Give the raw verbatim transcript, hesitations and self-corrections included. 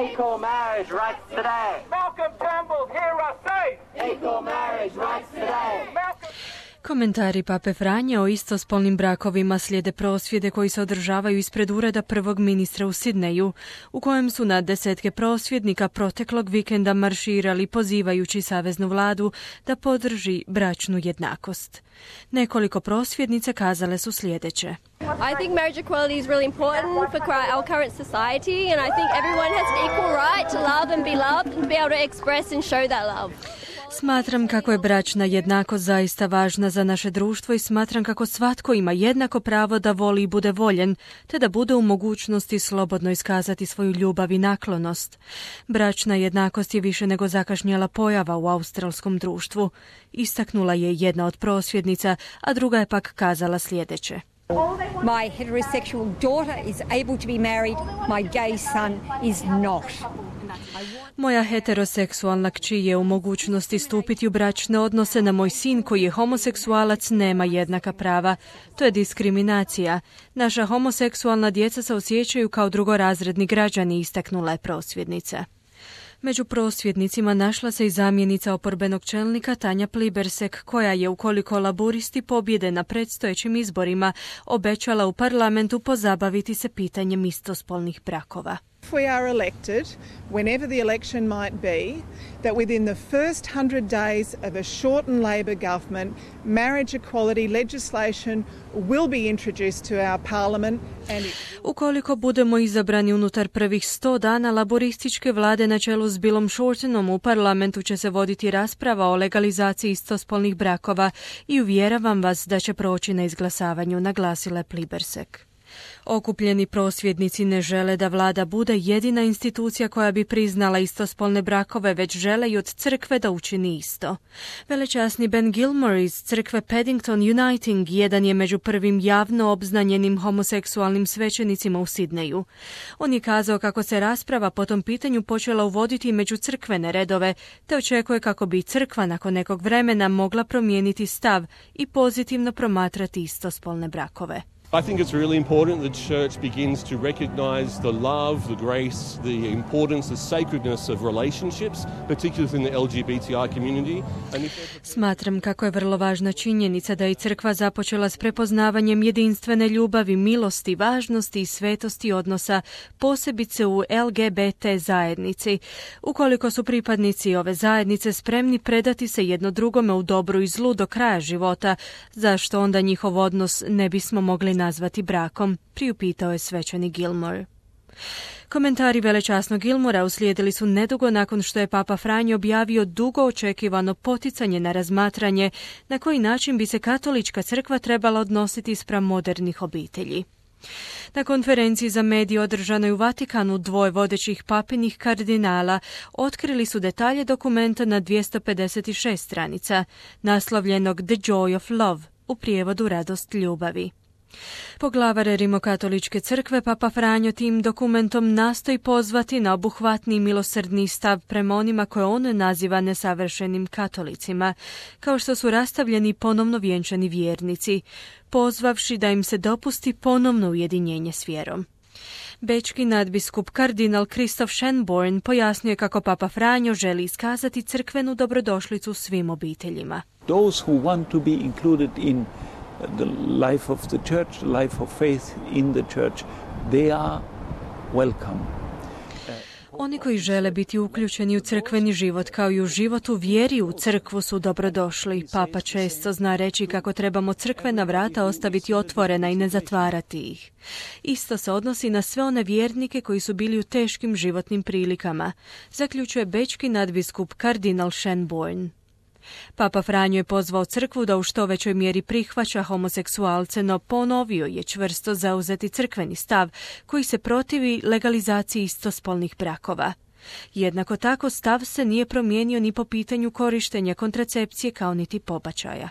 Equal marriage rights today. Malcolm Turnbull, hear us say. Equal marriage rights today. Malcolm... Komentari Pape Franje o istospolnim brakovima slijede prosvjede koji se održavaju ispred ureda prvog ministra u Sidneju, u kojem su na desetke prosvjednika proteklog vikenda marširali pozivajući saveznu vladu da podrži bračnu jednakost. Nekoliko prosvjednica kazale su sljedeće. I think marriage equality is really important for our current society, and I think everyone has an equal right to love and be loved and be able to express and show that love. Smatram kako je bračna jednakost zaista važna za naše društvo i smatram kako svatko ima jednako pravo da voli i bude voljen, te da bude u mogućnosti slobodno iskazati svoju ljubav i naklonost. Bračna jednakost je više nego zakašnjela pojava u australskom društvu, istaknula je jedna od prosvjednica, a druga je pak kazala sljedeće. My heterosexual daughter is able to be married, my gay son is not. Moja heteroseksualna kći je u mogućnosti stupiti u bračne odnose, na moj sin koji je homoseksualac nema jednaka prava. To je diskriminacija. Naša homoseksualna djeca se osjećaju kao drugorazredni građani, istaknula je prosvjednica. Među prosvjednicima našla se i zamjenica oporbenog čelnika Tanja Plibersek, koja je, ukoliko laburisti pobjede na predstojećim izborima, obećala u parlamentu pozabaviti se pitanjem istospolnih brakova. If we are elected, whenever the election might be, that within the first hundred days of a shortened Labor government, marriage equality legislation will be introduced to our parliament. And it... Ukoliko budemo izabrani unutar prvih sto dana laborističke vlade na čelu s Billom Shortenom, u parlamentu će se voditi rasprava o legalizaciji istospolnih brakova i uvjeravam vas da će proći na izglasavanju, naglasila je Plibersek. Okupljeni prosvjednici ne žele da vlada bude jedina institucija koja bi priznala istospolne brakove, već žele i od crkve da učini isto. Velečasni Ben Gilmore iz crkve Paddington Uniting jedan je među prvim javno obznanjenim homoseksualnim svećenicima u Sidneju. On je kazao kako se rasprava po tom pitanju počela uvoditi među crkvene redove, te očekuje kako bi crkva nakon nekog vremena mogla promijeniti stav i pozitivno promatrati istospolne brakove. I think it's really important that the church begins to recognize the love, the grace, the importance, the sacredness of relationships, particularly within the L G B T I community. And if... Smatram kako je vrlo važna činjenica da je crkva započela s prepoznavanjem jedinstvene ljubavi, milosti, važnosti i svetosti odnosa, posebice u L G B T zajednici. Ukoliko su pripadnici ove zajednice spremni predati se jedno drugome u dobru i zlu do kraja života, zašto onda njihov odnos ne bismo mogli nazvati brakom, priupitao je svećeni Gilmore. Komentari velečasnog Gilmora uslijedili su nedugo nakon što je Papa Franjo objavio dugo očekivano poticanje na razmatranje na koji način bi se katolička crkva trebala odnositi spram modernih obitelji. Na konferenciji za medije održanoj u Vatikanu dvoje vodećih papinih kardinala otkrili su detalje dokumenta na dvjesto pedeset šest stranica, naslovljenog The Joy of Love, u prijevodu Radost ljubavi. Poglavar Rimokatoličke crkve Papa Franjo tim dokumentom nastoji pozvati na obuhvatni i milosrdni stav prema onima koje on naziva nesavršenim katolicima, kao što su rastavljeni ponovno vjenčani vjernici, pozvavši da im se dopusti ponovno ujedinjenje s vjerom. Bečki nadbiskup kardinal Christoph Schönborn pojasnio je kako Papa Franjo želi iskazati crkvenu dobrodošlicu svim obiteljima. Those who want to be included in the life of the church, the life of faith in the church, they are welcome. Oni koji žele biti uključeni u crkveni život kao i u život u vjeri u crkvu su dobrodošli. Papa često zna reći kako trebamo crkvena vrata ostaviti otvorena i ne zatvarati ih. Isto se odnosi na sve one vjernike koji su bili u teškim životnim prilikama, zaključuje bečki nadbiskup kardinal Schönborn. Papa Franjo je pozvao crkvu da u što većoj mjeri prihvaća homoseksualce, no ponovio je čvrsto zauzeti crkveni stav koji se protivi legalizaciji istospolnih brakova. Jednako tako stav se nije promijenio ni po pitanju korištenja kontracepcije kao niti pobačaja.